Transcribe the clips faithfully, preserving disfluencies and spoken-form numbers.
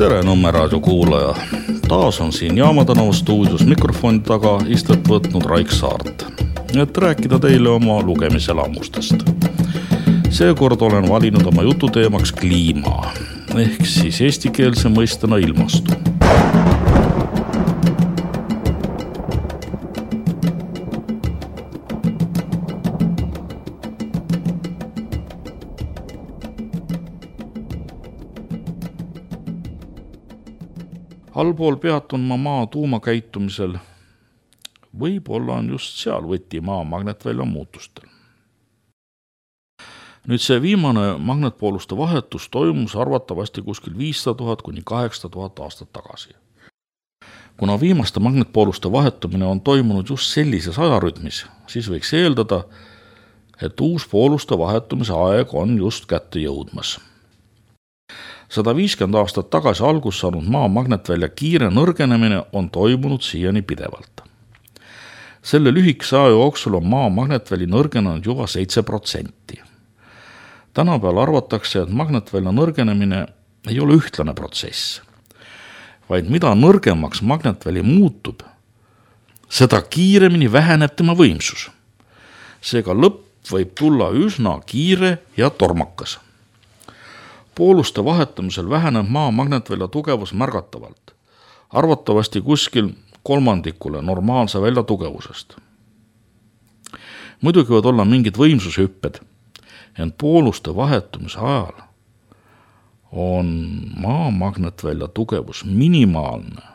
Tere Nõmme raadio kuulaja. Taas on siin Jaamatänava stuudios mikrofoni taga istet võtnud Raik Saart, et rääkida teile oma lugemiselamustest. Seekord olen valinud oma jututeemaks kliima, ehk siis eestikeelse mõistena ilmastu. Allpool peatun ma maa tuumakäitumisel. Võib-olla on just seal võti maa magnetvälja muutustel. Nüüd see viimane magnetpooluste vahetus toimus arvatavasti kuskil viissada tuhat kuni kaheksasada tuhat aastat tagasi. Kuna viimaste magnetpooluste vahetumine on toimunud just sellises ajarütmis, siis võiks eeldada, et uus pooluste vahetumise aeg on just kätte jõudmas. sada viiskümmend aastat tagasi algus saanud maa magnetvälja kiire nõrgenemine on toimunud siiani pidevalt. Selle lühikese aja jooksul on maa magnetväli nõrgenenud juba seitse protsenti. Tänapäeval arvatakse, et magnetvälja nõrgenemine ei ole ühtlane protsess, vaid mida nõrgemaks magnetväli muutub, seda kiiremini väheneb tema võimsus. Seega lõpp võib tulla üsna kiire ja tormakas. Pooluste vahetamisel väheneb maa magnetvälja tugevus märgatavalt, arvatavasti kuskil kolmandikule normaalse välja tugevusest. Muidugi võivad olla mingid võimsushüpped, ent pooluste vahetumise ajal on maa magnetvälja tugevus minimaalne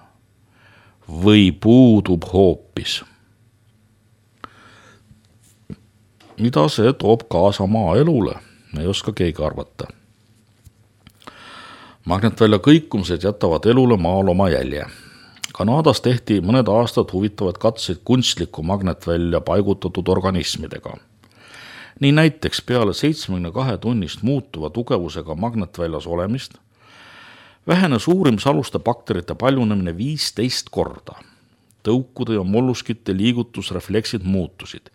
või puudub hoopis. Mida see toob kaasa maa elule, ei oska keegi arvata. Magnetvälja kõikumised jätavad elule maal oma jälje. Kanadas tehti mõned aastad huvitavad katseid kunstliku magnetvälja paigutatud organismidega. Nii näiteks peale seitsmekümne kahe tunnist muutuva tugevusega magnetväljas olemist vähenes uurimisaluste bakterite paljunemine viisteist korda. Tõukude ja molluskite liigutusrefleksid muutusid.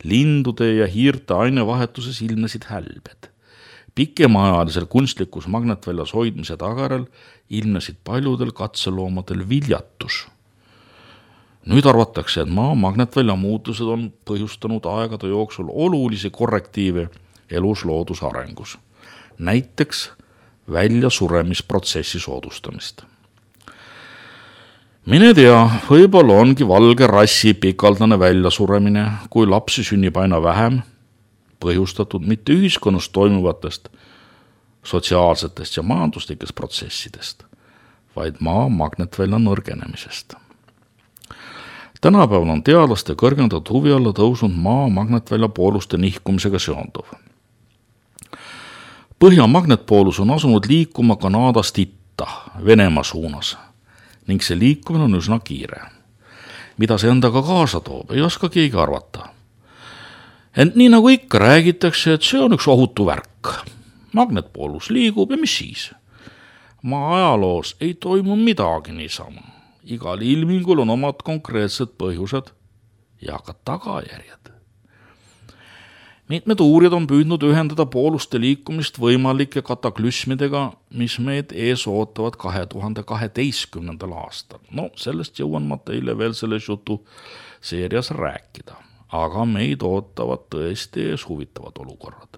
Lindude ja hiirte ainevahetuses ilmnesid hälbed. Pikemaajalisel kunstlikus magnetväljas hoidmise tagarel ilmnesid paljudel katseloomadel viljatus. Nüüd arvatakse, et maa magnetvälja muutused on põhjustanud aegade jooksul olulisi korrektiive elus looduse arengus. Näiteks väljasuremisprotsessi soodustamist. Mine tea, võib-olla ongi valge rassi pikaldane väljasuremine, kui lapsi sünnib aina vähem, põhjustatud mitte ühiskonnas toimuvatest sotsiaalsetest ja majanduslikest protsessidest, vaid maa magnetvälja nõrgenemisest. Tänapäeval on teadlaste kõrgendatud huvi alla tõusnud maa magnetvälja pooluste nihkumisega seonduv. Põhja magnetpoolus on asunud liikuma Kanadast itta, Venemaa suunas, ning see liikumine on üsna kiire. Mida see endaga kaasa toob, ei oska keegi arvata. Ent nii nagu ikka räägitakse, et see on üks ohutu värk. Magnetpoolus liigub ja mis siis? Maa ajaloos ei toimu midagi niisama. Igal ilmingul on omad konkreetsed põhjused ja ka tagajärjed. Mitmed uurijad on püüdnud ühendada pooluste liikumist võimalike kataklüsmidega, mis meid ees ootavad kahe tuhande kaheteistkümnendal aastal. No, sellest jõuan ma teile veel selles jutu seerias rääkida. Aga meid ootavad tõesti ees huvitavad olukorrad.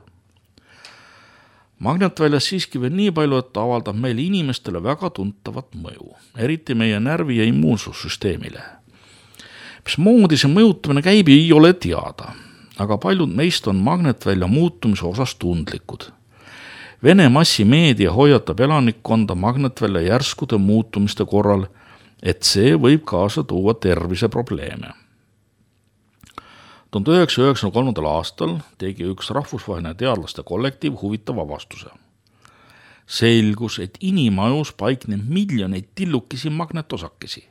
Magnetväljas siiski veel nii palju, et avaldab meil inimestele väga tuntavat mõju, eriti meie närvi- ja immuunsussüsteemile. Mis moodi see mõjutamine käib, ei ole teada, aga paljud meist on magnetvälja muutumise osas tundlikud. Vene massimeedia hoiatab elanikkonda magnetvälja järskude muutumiste korral, et see võib kaasa tuua terviseprobleeme. tuhande üheksasaja üheksakümne kolmandal aastal tegi üks rahvusvaheline teadlaste kollektiiv huvitava vastuse. Selgus, et inimajus paikneb miljoneid tillukesi magnetosakesi.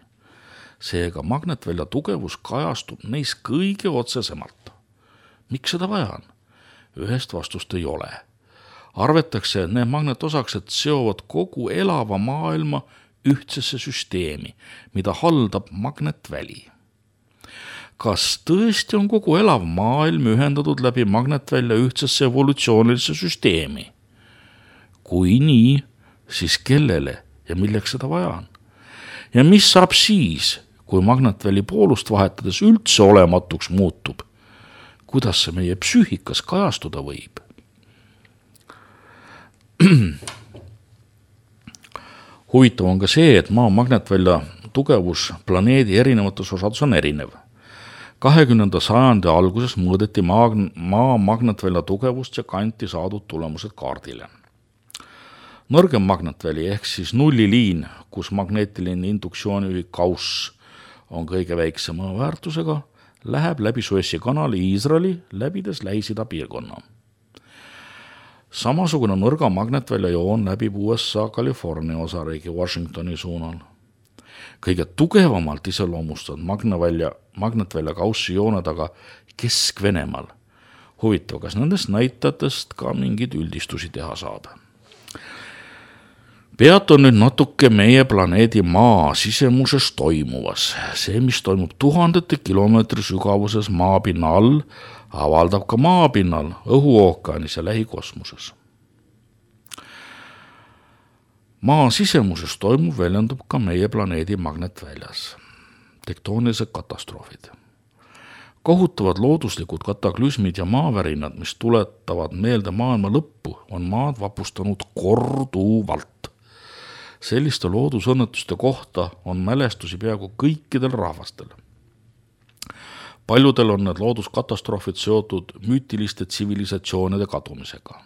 Seega magnetvälja tugevus kajastub neis kõige otsesemalt. Miks seda vaja on? Ühest vastust ei ole. Arvetakse, et need magnetosakesed seovad kogu elava maailma ühtsesse süsteemi, mida haldab magnetväli. Kas tõesti on kogu elav maailm ühendatud läbi magnetvälja ühtsesse evolutsioonilisse süsteemi? Kui nii, siis kellele ja milleks seda vaja on. Ja mis saab siis, kui magnetväli poolust vahetades üldse olematuks muutub? Kuidas see meie psüühikas kajastuda võib? Huvitav on ka see, et maa magnetvälja tugevus planeedi erinevates osades on erinev. kahekümnenda sajandi alguses mõõdeti maa, maa magnetvälja tugevust ja kanti saadud tulemused kaardile. Nõrgem magnetväli ehk siis nulliliin, kus magneetiline induktsiooniühik Gauss on kõige väiksema väärtusega, läheb läbi Suessi kanali Iisraeli, läbides Lähis-Ida piirkonna. Samasugune nõrga magnetvälja joon läbib U S A California osariigi Washingtoni suunal. Kõige tugevamalt iseloomustavad magnetvälia, magnetvälja Gaussi jooned aga Kesk-Venemaal. Huvitav, kas nendest näitajatest ka mingeid üldistusi teha saab? Peatun nüüd natuke meie planeedi maa sisemuses toimuvas. See, mis toimub tuhandete kilomeetri sügavuses maapinna all, avaldab ka maapinnal, õhuookaanis ja lähikosmoses. Maa sisemuses toimuv väljendub ka meie planeedi magnetväljas. Tektoonilised katastroofid. Kohutavad looduslikud kataklüsmid ja maavärinad, mis tuletavad meelde maailma lõppu, on maad vapustanud korduvalt. Selliste loodusõnnetuste kohta on mälestusi peaaegu kõikidel rahvastel. Paljudel on need looduskatastroofid seotud müütiliste tsivilisatsioonide kadumisega.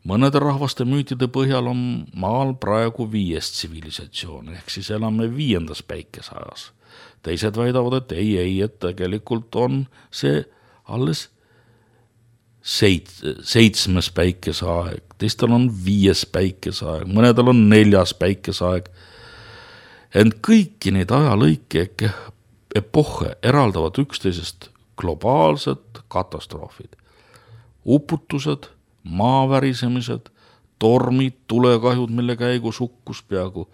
Mõnede rahvaste müütide põhjal on maal praegu viies tsivilisatsioon, ehk siis elame viiendas päikeseajas. Teised väidavad, et ei, ei, et tegelikult on see alles Seit, seitsmes päikeseaeg, teistel on viies päikeseaeg, mõnedel on neljas päikeseaeg. Ent kõiki neid ajalõike ehk epohhe eraldavad üksteisest globaalsed katastroofid. Uputused, maavärisemised, tormid, tulekahjud, mille käigus hukkus peaaegu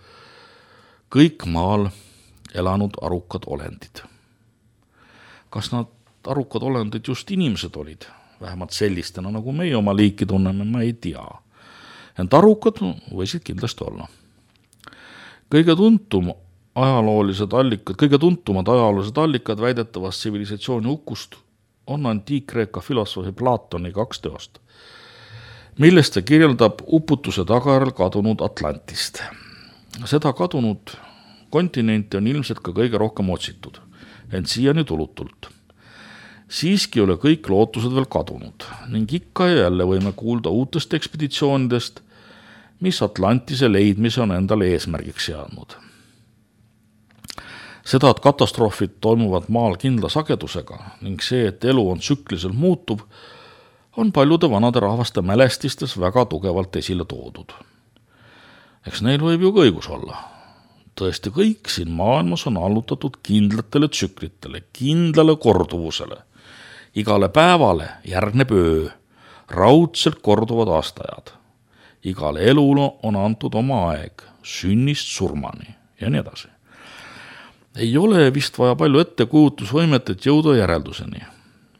kõik maal elanud arukad olendid. Kas nad arukad olendid just inimesed olid? Vähemalt sellistena, nagu meie oma liiki tunneme, ma ei tea. Ent arukad võisid kindlasti olla. Kõige tuntum ajaloolised allikad, kõige tuntumad ajaloolised allikad väidetavast tsivilisatsiooni hukust on antiik-Kreeka filosoofi Platoni kaks teost, millest ta kirjeldab uputuse tagajärjel kadunud Atlantist. Seda kadunud kontinenti on ilmselt ka kõige rohkem otsitud, ent siiani tulutult. Siiski ei ole kõik lootused veel kadunud ning ikka ja jälle võime kuulda uutest ekspeditsioonidest, mis Atlantise leidmise on endale eesmärgiks seadnud. Seda, et katastroofid toimuvad maal kindla sagedusega ning see, et elu on tsükliliselt muutub, on paljude vanade rahvaste mälestistes väga tugevalt esile toodud. Eks neil võib ju õigus olla. Tõesti kõik siin maailmas on allutatud kindlatele tsüklitele, kindlale korduvusele. Igale päevale järgneb öö, raudselt korduvad aastajad. Igale elule on antud oma aeg, sünnist surmani ja nii edasi. Ei ole vist vaja palju ettekujutusvõimet, et jõuda järelduseni.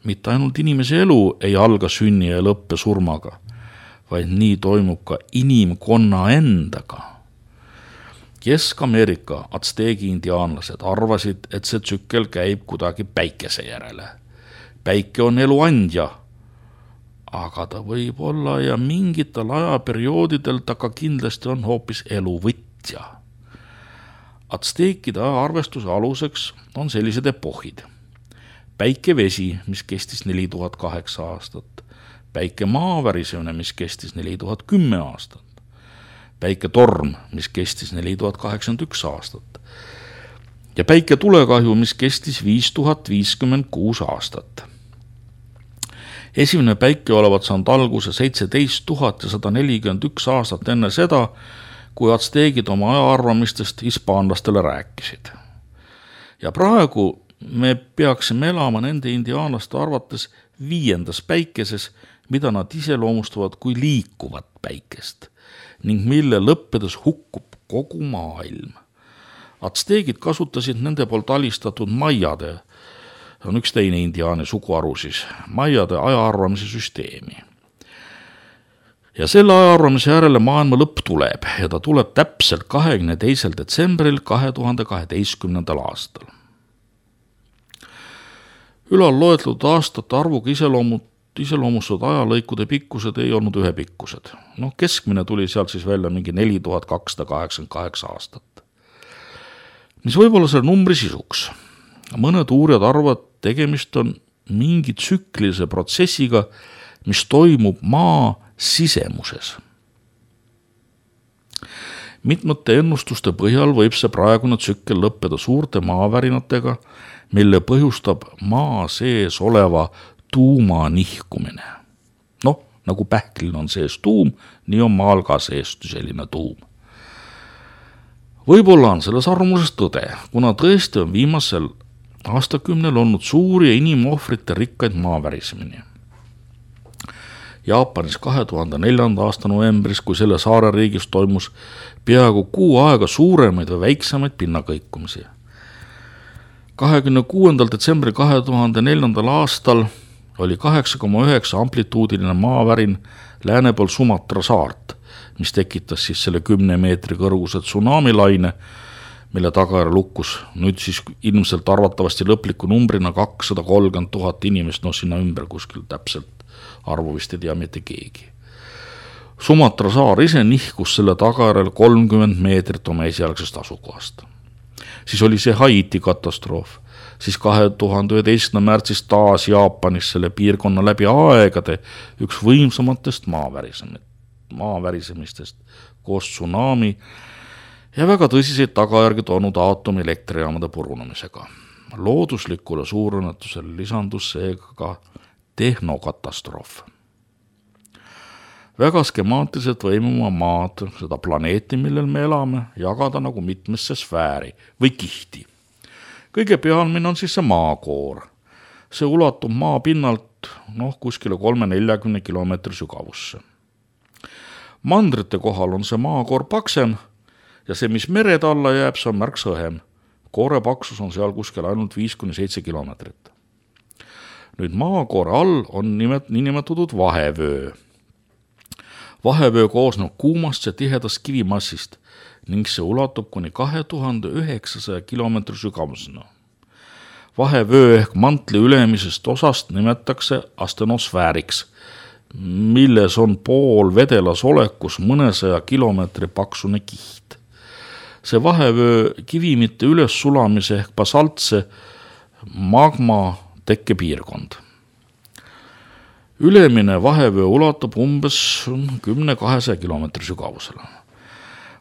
Mitte ainult inimese elu ei alga sünni ja lõppe surmaga, vaid nii toimub ka inimkonna endaga. Kesk-Ameerika atsteegi indiaanlased arvasid, et see tsükkel käib kuidagi päikese järele. Päike on elu andja, aga ta võib olla ja mingitel ajaperioodidel ta ka kindlasti on hoopis elu võtja. Atsteekide arvestuse aluseks on sellised epohid. Päikevesi, mis kestis neli tuhat kaheksa aastat, päike maavärisemine, mis kestis neli tuhat kümme aastat, päike torm, mis kestis neli tuhat kaheksakümmend üks aastat ja päike tulekahju, mis kestis viis tuhat viiskümmend kuus aastat. Esimene päike olevat saanud alguse seitseteist tuhat sada nelikümmend üks aastat enne seda, kui atsteegid oma ajaarvamistest hispaanlastele rääkisid. Ja praegu me peaksime elama nende indiaanlaste arvates viiendas päikeses, mida nad iseloomustavad kui liikuvat päikest ning mille lõppedes hukkub kogu maailm. Atsteegid kasutasid nende poolt alistatud maiade, on üks teine indiaani suguharu siis, maiade ajaarvamise süsteemi. ja selle ajaarvamise järele maailma lõpp tuleb ja ta tuleb täpselt kahekümne teisel detsembril kahe tuhande kaheteistkümnendal aastal. Ülal loetletud aastate arvuga iseloomud, iseloomustud ajalõikude pikkused ei olnud ühepikkused. No keskmine tuli sealt siis välja mingi neli tuhat kakssada kaheksakümmend kaheksa aastat. Mis võib olla selle numbri sisuks? Mõned uurijad arvavad, tegemist on mingi tsüklilise protsessiga, mis toimub maa sisemuses. Mitmete ennustuste põhjal võib see praegune tsükkel lõppeda suurte maavärinatega, mille põhjustab maa sees oleva tuuma nihkumine. Noh, nagu pähklil on sees tuum, nii on maal ka sees selline tuum. Võib-olla on selles arvamuses tõde, kuna tõesti on viimasel aastakümnel olnud suuri ja inimohvrite rikkaid maavärisemini. Jaapanis kahe tuhande neljanda aasta novembris, kui selle saare riigis toimus peaaegu kuu aega suuremaid või väiksemaid pinnakõikumisi. kahekümne kuuendal detsembril kahe tuhande neljandal aastal oli kaheksa koma üheksa amplituudiline maavärin lääne pool Sumatra saart, mis tekitas siis selle kümne meetri kõrguse tsunamilaine, mille tagajärjel lukkus nüüd siis ilmselt arvatavasti lõpliku numbrina kakssada kolmkümmend tuhat inimest, no sinna ümber kuskil täpselt arvu vist ei tea mitte keegi. Sumatra saar ise nihkus selle tagajärjel kolmkümmend meetrit oma esialgsest asukohast. Siis oli see Haiti katastroof, siis kahe tuhande üheteistkümnenda märtsis taas Jaapanis selle piirkonna läbi aegade üks võimsamatest maavärisemistest koos tsunami ja väga tõsiseid tagajärgi toonud aatomilektrijaamade purunemisega. Looduslikule suurõnnetusele lisandus seega ka tehnokatastroof. Väga skemaatiliselt võime oma maad, seda planeeti, millel me elame, jagada nagu mitmesse sfääri või kihti. Kõige pealmine on siis see maakoor. See ulatub maa pinnalt noh, kuskile kolme neljakümne kilomeetri sügavusse. Mandrite kohal on see maakoor paksem ja see, mis mered alla jääb, see on märksa õhem. Koore paksus on seal kuskil ainult viis kuni seitse kilomeetrit. Nüüd maakoore all on nimet, niinimetatud vahevöö. Vahevöö koosneb kuumast ja tihedast kivimassist ning see ulatub kuni kahe tuhande üheksasaja kilomeetri sügavusena. Vahevöö ehk mantli ülemisest osast nimetakse astenosfääriks, milles on pool vedelas olekus mõnesaja kilomeetri paksune kiht. See vahevöö kivimite üles sulamise ehk basaltse magma tekkepiirkond. Ülemine vahevöö ulatub umbes kümne kahesaja kilomeetri sügavusele.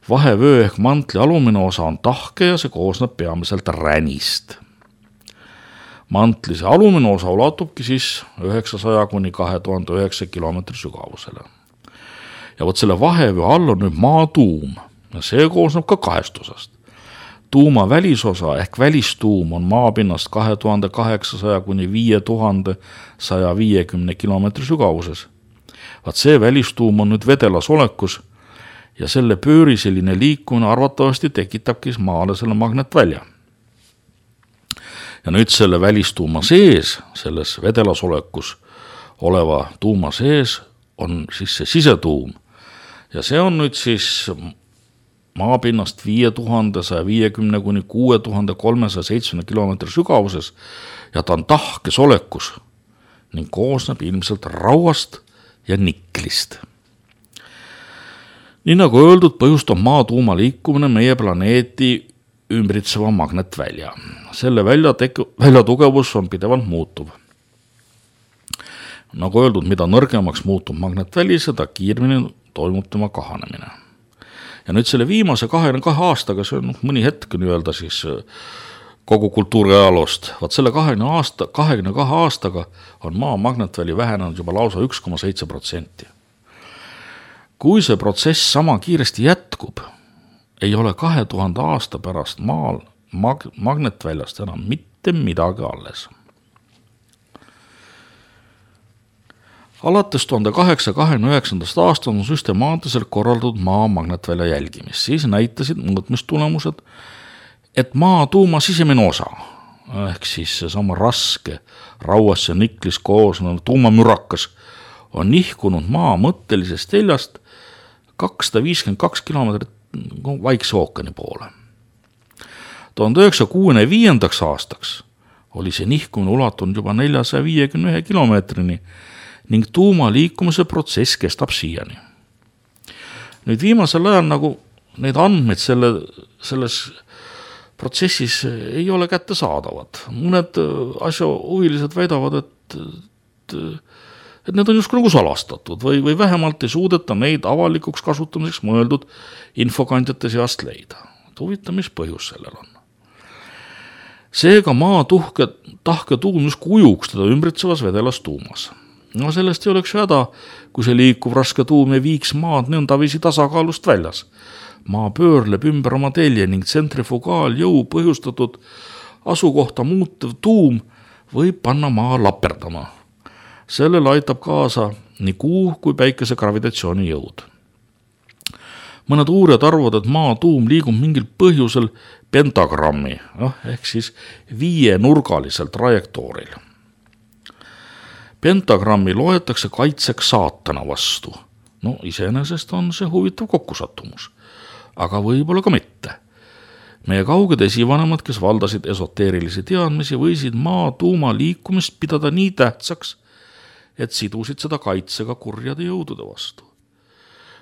Vahevöö ehk mantli alumine osa on tahke ja see koosneb peamiselt ränist. Mantli see alumine osa ulatubki siis üheksasaja kuni kahe tuhande üheksasaja kilomeetri sügavusele. Ja vot selle vahevöö all on nüüd maatuum ja see koosneb ka kahest osast. Tuuma välisosa ehk välistuum on maapinnast kahe tuhande kaheksasaja kuni viie tuhande saja viiekümne kilomeetri sügavuses. Vaat see välistuum on nüüd vedelas olekus ja selle pööriseline liikumine arvatavasti tekitabki maale selle magnetvälja. Ja nüüd selle välistuuma sees, selles vedelas olekus oleva tuuma sees on siis see sisetuum ja see on nüüd siis maapinnast viie tuhande saja viiekümne kuni kuue tuhande kolmesaja seitsmekümne kilomeetri sügavuses ja ta on tahkes olekus ning koosneb ilmselt rauast ja niklist. Nii nagu öeldud, põhjustab maa tuuma liikumine meie planeeti ümbritseva magnetvälja. Selle välja, tek- välja tugevus on pidevalt muutuv. Nagu öeldud, mida nõrgemaks muutub magnetväli, seda kiiremini toimub tema kahanemine. Ja nüüd selle viimase kahekümne kahe aastaga, see on mõni hetk nii-öelda siis kogu kultuuri ajaloost, vaat selle kahekümne aasta, kahekümne kahe aastaga on maa magnetväli vähenenud juba lausa üks koma seitse protsenti. Kui see protsess sama kiiresti jätkub, ei ole kahe tuhande aasta pärast maal mag- magnetväljast enam mitte midagi alles. Alates tuhande kaheksasaja kahekümne üheksandast aastast on süstemaatiliselt korraldatud maa magnetvälja jälgimist. Siis näitasid mõõtmistulemused, et maa tuuma sisemine osa, ehk siis seesama raske, rauas ja niklis koosnev tuumamürakas on nihkunud maa mõttelisest teljast kakssada viiskümmend kaks kilomeetrit Vaikse ookeani poole. tuhande üheksasaja kuuekümne viiendaks aastaks oli see nihkumine ulatunud juba neljasaja viiekümne ühe kilomeetrini ning tuuma liikumise protsess kestab siiani. Nüüd viimasel ajal nagu neid andmeid selle, selles protsessis ei ole kättesaadavad. Mõned asja huvilised väidavad, et, et, et need on justkui nagu salastatud või, või vähemalt ei suudeta neid avalikuks kasutamiseks mõeldud infokandjate seast leida. Huvitav, mis põhjus sellel on. Seega maa tuhke, tahke tuum justkui ujuks teda ümbritsevas vedelas tuumas. No sellest ei oleks häda, kui see liikuv raske tuum ei viiks maad nõndavisi tasakaalust väljas. Maa pöörleb ümber oma telje ning tsentrifugaaljõu põhjustatud asukohta muutev tuum võib panna maa laperdama. Sellele aitab kaasa nii kuu kui päikese gravitatsiooni jõud. Mõned uurijad arvavad, et maa tuum liigub mingil põhjusel pentagrammi, noh, ehk siis viienurgalisel trajektooril. Pentagrammi loetakse kaitseks saatana vastu. No iseenesest on see huvitav kokkusattumus, aga võib-olla ka mitte. Meie kauged esivanemad, kes valdasid esoteerilisi teadmisi, võisid maa tuuma liikumist pidada nii tähtsaks, et sidusid seda kaitsega kurjade jõudude vastu.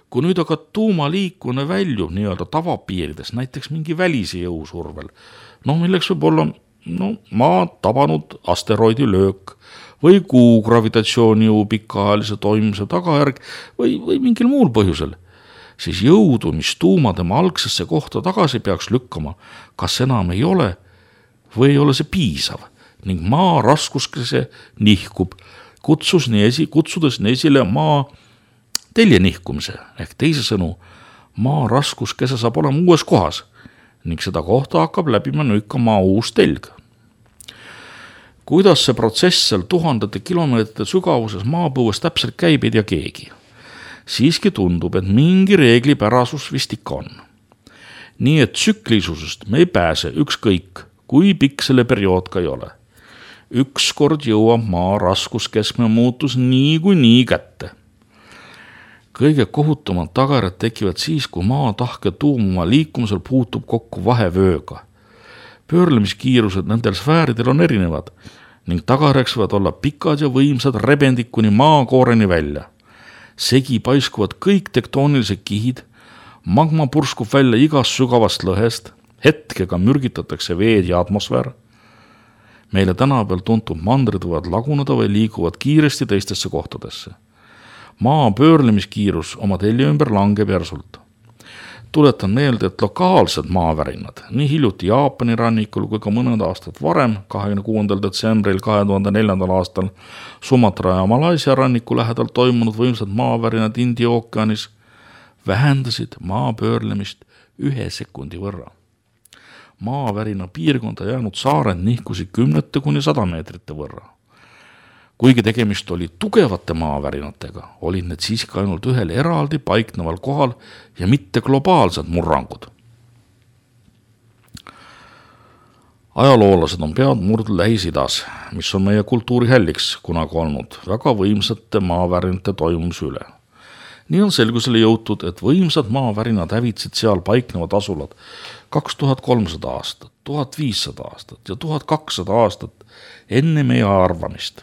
Kui nüüd aga tuuma liikune väljub nii-öelda tavapiirides, näiteks mingi välise jõusurvel, no milleks võib olla no, maa tabanud asteroidi löök või kuu gravitatsiooni jõu pikaajalise toimimise tagajärg või, või mingil muul põhjusel, siis jõudu, mis tuuma tema algsesse kohta tagasi peaks lükkama, kas enam ei ole või ei ole see piisav ning maa raskuskese nihkub, kutsus nii esi, kutsudes nii esile maa telje nihkumise, ehk teise sõnu, maa raskuskese saab olema uues kohas ning seda kohta hakkab läbima nüüdka maa uus telg. Kuidas see protsess seal tuhandete kilomeetrite sügavuses maapõues täpselt käib, ei tea keegi. Siiski tundub, et mingi reeglipärasus vist ikka on. Nii et tsüklisusest me ei pääse ükskõik, kui pikk selle periood ka ei ole. Ükskord jõuab maa raskuskeskme muutus nii kui nii kätte. Kõige kohutumad tagajärjed tekivad siis, kui maa tahke tuum oma liikumisel puutub kokku vahevööga. Pöörlemiskiirused nendel sfääridel on erinevad ning tagajärjeks võivad olla pikad ja võimsad rebendid kuni maakooreni välja. Segi paiskuvad kõik tektoonilised kihid, magma purskub välja igast sügavast lõhest, hetkega mürgitatakse veed ja atmosfäär. Meile tänapäeval tuntud mandrid võivad laguneda või liiguvad kiiresti teistesse kohtadesse. Maa pöörlemiskiirus oma telje ümber langeb järsult. Tuletan meelde, et lokaalsed maavärinad, nii hiljuti Jaapani rannikul kui ka mõned aastad varem, kahekümne kuuendal detsembril kahe tuhande neljandal aastal Sumatra ja Malaisia ranniku lähedal toimunud võimsad maavärinad India ookeanis vähendasid maa pöörlemist ühe sekundi võrra. Maavärina piirkonda jäänud saared nihkusid kümnete kuni sada meetrite võrra. Kuigi tegemist oli tugevate maavärinatega, olid need siiski ainult ühel eraldi paikneval kohal ja mitte globaalsed murrangud. Ajaloolased on pead murdnud Lähis-Idas, mis on meie kultuuri hälliks kunagi olnud, väga võimsate maavärinate toimumise üle. Nii on selgusele jõutud, et võimsad maavärinad hävitsid seal paiknevad asulad kaks tuhat kolmsada aastat, tuhat viissada aastat ja tuhat kakssada aastat enne meie arvamist.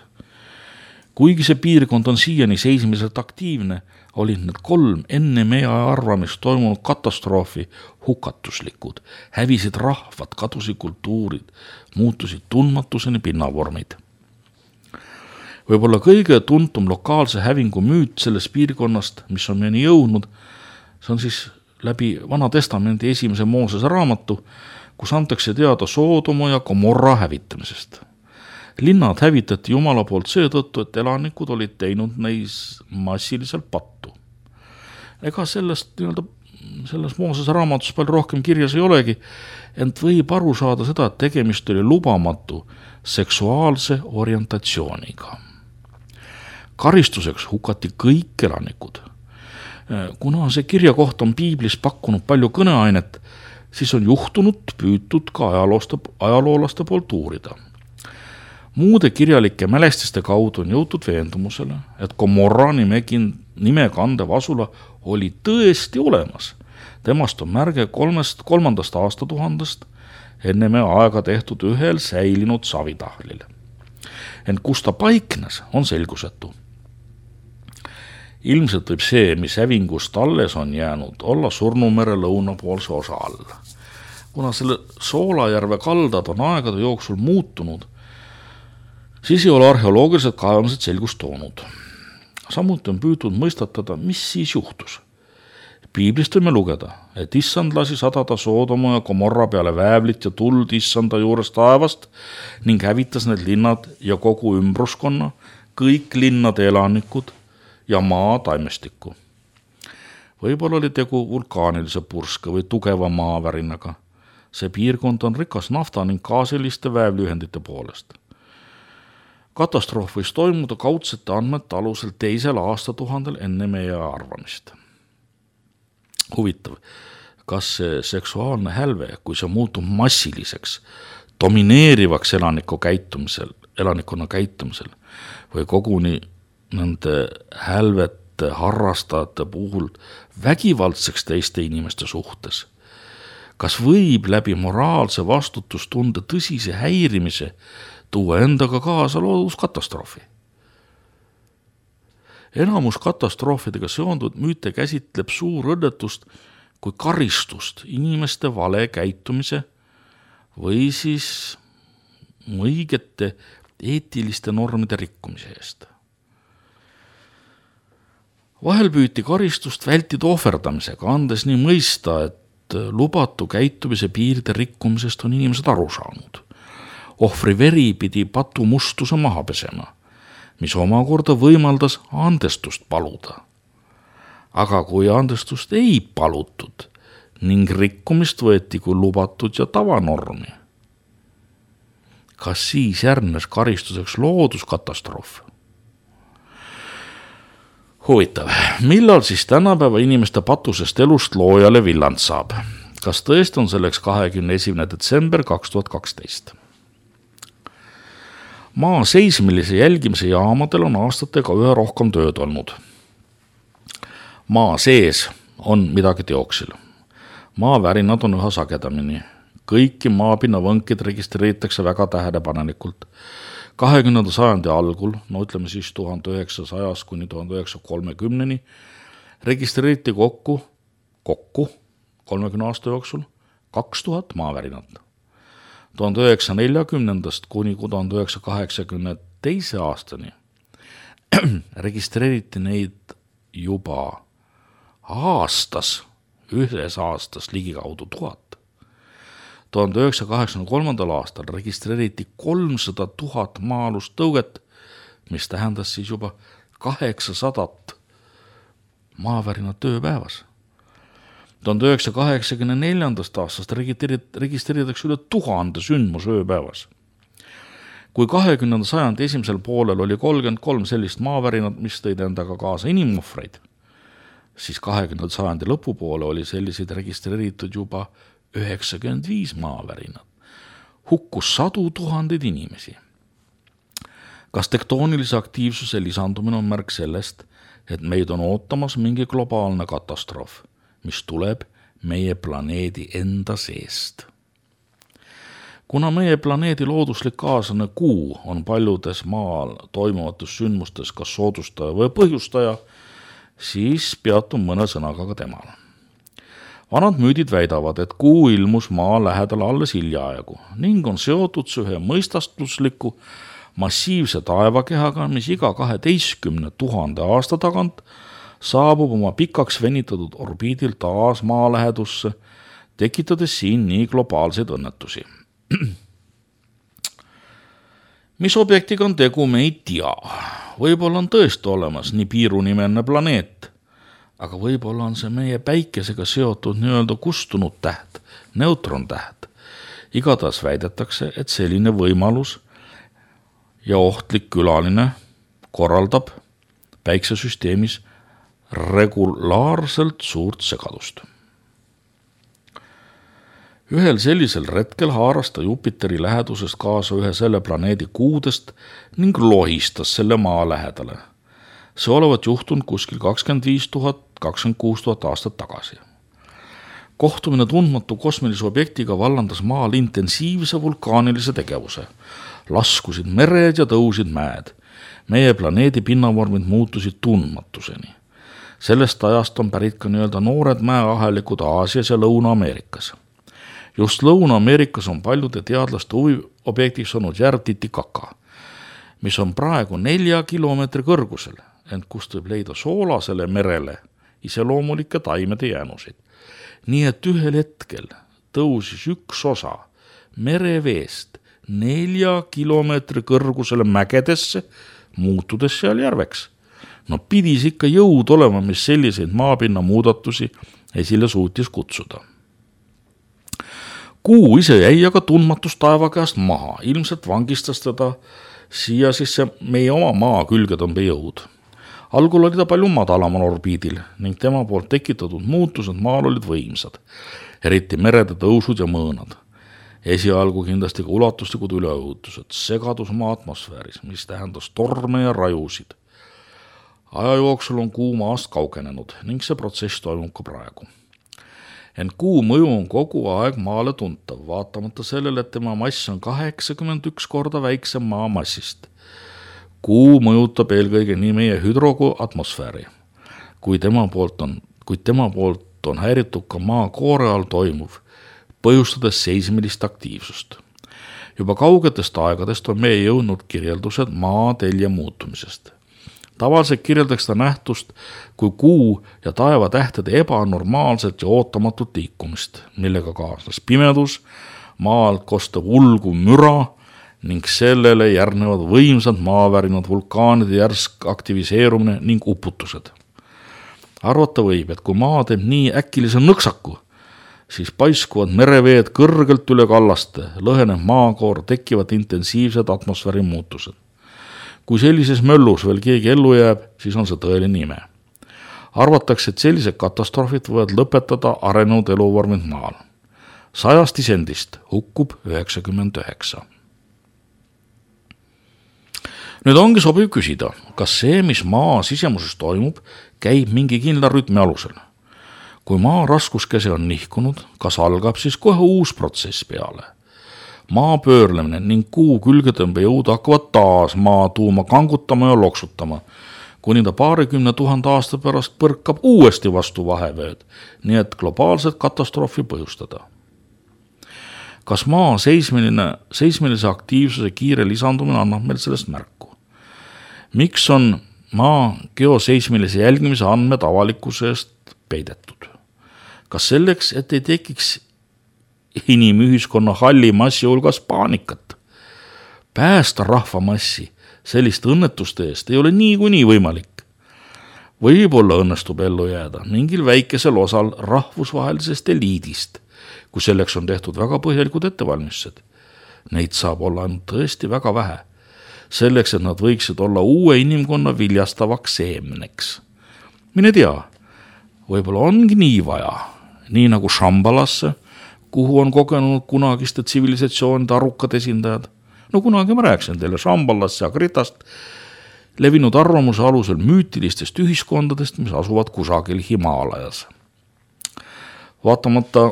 Kuigi see piirkond on siiani seismiselt aktiivne, olid need kolm enne meie arvamist toimunud katastroofi hukatuslikud, hävisid rahvad, kadusid kultuurid, muutusid tundmatuseni pinnavormid. Võib-olla kõige tuntum lokaalse hävingu müüt sellest piirkonnast, mis on meieni jõudnud, see on siis läbi Vana Testamendi esimese Moosese raamatu, kus antakse teada Soodoma ja Gomorra hävitamisest. Linnad hävitati Jumala poolt seetõttu, et elanikud olid teinud neis massiliselt pattu. Ega sellest, nii-öelda, selles Moosese raamatus palju rohkem kirjas ei olegi, ent võib aru saada seda, et tegemist oli lubamatu seksuaalse orientatsiooniga. Karistuseks hukati kõik elanikud. Kuna see kirjakoht on piiblis pakkunud palju kõneainet, siis on juhtunud püütud ka ajaloolaste poolt uurida. Muude kirjalike mälestiste kaudu on jõutud veendumusele, et Gomorra nime kandev asula oli tõesti olemas. Temast on märge kolmest, kolmandast aastatuhandest enne meie aega tehtud ühel säilinud savitahlil. Ent kus ta paiknes, on selgusetu. Ilmselt võib see, mis hävingust alles on jäänud, olla Surnumere lõunapoolse osa all. Kuna selle Soolajärve kaldad on aegade jooksul muutunud, siis ei ole arheoloogilised kaevamised selgust toonud. Samuti on püütud mõistatada, mis siis juhtus. Piiblist võime lugeda, et issand lasi sadada Soodoma ja Gomorra peale väävlit ja tuld issanda juures taevast ning hävitas need linnad ja kogu ümbruskonna, kõik linnade elanikud ja maa taimestikku. Võib-olla oli tegu vulkaanilise purske või tugeva maavärinaga. See piirkond on rikas nafta ning gaasiliste väävliühendite poolest. Katastroof võis toimuda kaudsete andmete alusel teisel aastatuhandel enne meie arvamist. Huvitav, kas see seksuaalne hälve, kui see muutub massiliseks, domineerivaks elaniku käitumisel, elanikkonna käitumisel või koguni nende hälvete harrastajate puhul vägivaldseks teiste inimeste suhtes. Kas võib läbi moraalse vastutustunde tõsise häirimise tuua endaga kaasa looduskatastroofi? Enamus katastroofidega seonduvat müüte käsitleb suur õnnetust kui karistust inimeste vale käitumise või siis õigete eetiliste normide rikkumise eest. Vahel püüti karistust vältida ohverdamisega, andes nii mõista, et lubatu käitumise piiride rikkumisest on inimesed aru saanud. Ohvri veri pidi patu mustuse maha pesema, mis omakorda võimaldas andestust paluda. Aga kui andestust ei palutud ning rikkumist võeti kui lubatud ja tavanormi, kas siis järgnes karistuseks looduskatastroof? Huvitav, millal siis tänapäeva inimeste patusest elust loojale villand saab? Kas tõesti on selleks kahekümne esimene detsember kaks tuhat kaksteist? Maa seismilise jälgimise jaamadel on aastatega ühe rohkem tööd olnud. Maa sees on midagi teoksil. Maavärinad on üha sagedamini. Kõiki maapinna võnkid registreeritakse väga tähelepanelikult. kahekümnenda sajandi algul, no ütleme siis tuhande üheksasajast kuni tuhande üheksasaja kolmekümneni, registreeriti kokku, kokku kolmekümne aasta jooksul kaks tuhat maavärinat. tuhande üheksasaja neljakümnendast kuni tuhande üheksasaja kaheksakümne teise aastani registreeriti neid juba aastas, ühes aastas ligikaudu tuhat. tuhande üheksasaja kaheksakümne kolmandal aastal registreeriti kolmsada tuhat maa-alust tõuget, mis tähendas siis juba kaheksasadat maavärina tööpäevas. tuhande üheksasaja kaheksakümne neljandast aastast registreeritakse üle tuhande sündmus ööpäevas. Kui kahekümnenda sajandi esimesel poolel oli kolmkümmend kolm sellist maavärinat, mis tõid endaga kaasa inimohvreid, siis kahekümnenda sajandi lõpupoole oli selliseid registreeritud juba üheksakümmend viis maavärinat. Hukkus sadu tuhandeid inimesi. Kas tektoonilise aktiivsuse lisandumine on märk sellest, et meid on ootamas mingi globaalne katastroof, mis tuleb meie planeedi enda seest? Kuna meie planeedi looduslik kaaslane Kuu on paljudes maal toimuvates sündmustes kas soodustaja või põhjustaja, siis peatun mõne sõnaga ka temal. Vanad müüdid väidavad, et Kuu ilmus maa lähedal alles hiljaaegu ning on seotud ühe mõistastusliku massiivse taevakehaga, mis iga kaheteistkümne tuhande aasta tagant saabub oma pikaks venitatud orbiidil taas maa lähedusse, tekitades siin nii globaalseid õnnetusi. Mis objektiga on tegu, me ei tea. Võib-olla on tõesti olemas nii piirunimeline planeet, aga võib-olla on see meie päikesega seotud nii-öelda kustunud täht, neutrontäht. Igatahes väidetakse, et selline võimalus ja ohtlik külaline korraldab päiksesüsteemis regulaarselt suurt segadust. Ühel sellisel retkel haaras ta Jupiteri lähedusest kaasa ühe selle planeedi kuudest ning lohistas selle maa lähedale. See olevat juhtunud kuskil kakskümmend viis tuhat, kakskümmend kuus tuhat aastat tagasi. Kohtumine tundmatu kosmilise objektiga vallandas maal intensiivse vulkaanilise tegevuse. Laskusid mered ja tõusid mäed. Meie planeedi pinnavormid muutusid tundmatuseni. Sellest ajast on pärit ka nii-öelda noored mäeahelikud Aasias ja Lõuna-Ameerikas. Just Lõuna-Ameerikas on paljude teadlaste huviobjektiks olnud järv Titicaca, mis on praegu nelja kilomeetri kõrgusel, ent kust võib leida soolasele merele iseloomulikke taimede jäänusid. Nii et ühel hetkel tõusis üks osa mereveest nelja kilomeetri kõrgusele mägedesse, muutudes seal järveks. No pidis ikka jõud olema, mis selliseid maapinna muudatusi esile suutis kutsuda. Kuu ise jäi aga tundmatus taeva käest maha, ilmselt vangistas teda siia siis see meie oma maa külgetõmbe jõud. Algul oli ta palju madalamal orbiidil ning tema poolt tekitatud muutused maal olid võimsad, eriti merede tõusud ja mõõnad. Esialgu kindlasti ka ulatuslikud üleujutused, segadus maa atmosfääris, mis tähendas torme ja rajusid. Aja jooksul on kuu maast kaugenenud ning see protsess toimub ka praegu. Ent kuu mõju on kogu aeg maale tuntav, vaatamata sellele, et tema mass on kaheksakümmend üks korda väiksem maa massist. Kuu mõjutab eelkõige nii meie hüdro- kui atmosfääri, kui tema poolt on, kuid tema poolt on häiritud ka maa koore all toimuv, põhjustades seismilist aktiivsust. Juba kaugetest aegadest on meie jõudnud kirjeldused maa telje muutumisest. Tavaliselt kirjeldaks ta nähtust kui kuu ja taeva tähtede ebanormaalset ja ootamatut liikumist, millega kaasnes pimedus, maalt kostav ulguv müra ning sellele järgnevad võimsad maavärinad, vulkaanide järsk aktiviseerumine ning uputused. Arvata võib, et kui maa teeb nii äkilise nõksaku, siis paiskuvad mereveed kõrgelt üle kallaste, lõheneb maakoor, tekivad intensiivsed atmosfääri muutused. Kui sellises möllus veel keegi ellu jääb, siis on see tõeline ime. Arvatakse, et sellised katastroofid võivad lõpetada arenenud eluvormid maal. Sajast isendist hukkub üheksakümmend üheksa. Nüüd ongi sobiv küsida, kas see, mis maa sisemuses toimub, käib mingi kindla rütmi alusel. Kui maa raskuskese on nihkunud, kas algab siis kohe uus protsess peale? Maa pöörlemine ning kuu külgetõmbe jõud hakkavad taas maa tuuma kangutama ja loksutama, kuni ta paarikümne tuhande aasta pärast põrkab uuesti vastu vahevööd, nii et globaalset katastroofi põhjustada. Kas maa seismiline, seismilise aktiivsuse kiire lisandumine annab meil sellest märku? Miks on maa geoseismilise jälgimise andmed avalikkuse eest peidetud? Kas selleks, et ei tekiks inimühiskonna halli massi hulgas paanikat? Päästa rahvamassi selliste õnnetuste eest ei ole niikuinii võimalik. Võib-olla õnnestub ellu jääda mingil väikesel osal rahvusvahelisest eliidist, kui selleks on tehtud väga põhjalikud ettevalmistused. Neid saab olla ainult tõesti väga vähe, selleks, et nad võiksid olla uue inimkonna viljastavaks seemneks. Mine tea, võib-olla ongi nii vaja, nii nagu Shambhalasse, kuhu on kogenud kunagiste tsivilisatsioonide arukad esindajad. No kunagi ma rääksin teile Shambhalast ja Kritast, levinud arvamuse alusel müütilistest ühiskondadest, mis asuvad kusagil Himaalajas. Vaatamata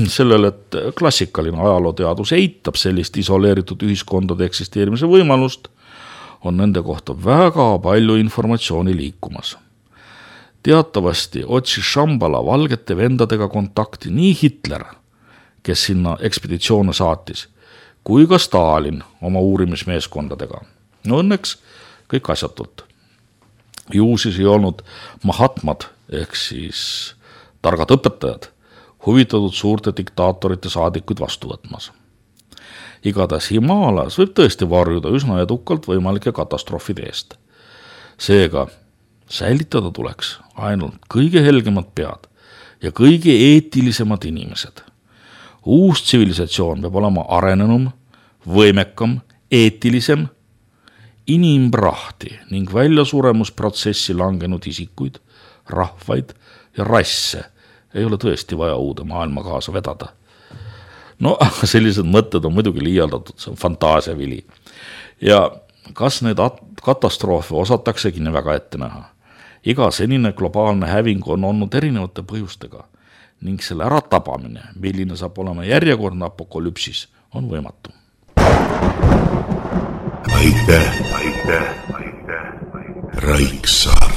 sellele, et klassikaline ajalooteadus eitab sellist isoleeritud ühiskondade eksisteerimise võimalust, on nende kohta väga palju informatsiooni liikumas. Teatavasti otsis Shambhala valgete vendadega kontakti nii Hitler, kes sinna ekspeditsioone saatis, kui ka Stalin oma uurimismeeskondadega. No õnneks kõik asjatult. Ju siis ei olnud Mahatmad ehk siis targad õpetajad huvitatud suurte diktaatorite saadikuid vastu võtmas. Igatahes Himaalajas võib tõesti varjuda üsna edukalt võimalike katastroofide eest. Seega säilitada tuleks ainult kõige helgemad pead ja kõige eetilisemad inimesed. Uus tsivilisatsioon peab olema arenenum, võimekam, eetilisem, inimprahti ning väljasuremusprotsessi langenud isikuid, rahvaid ja rasse ei ole tõesti vaja uude maailma kaasa vedada. No sellised mõtted on muidugi liialdatud, see on fantaasiavili. Ja kas need katastroofe osataksegi nii väga ette näha? Iga senine globaalne häving on olnud erinevate põhjustega ning selle ära tabamine, milline saab olema järjekordne apokalüpsis, on võimatu. Aitäh, aitäh, aitäh, Raiksaar.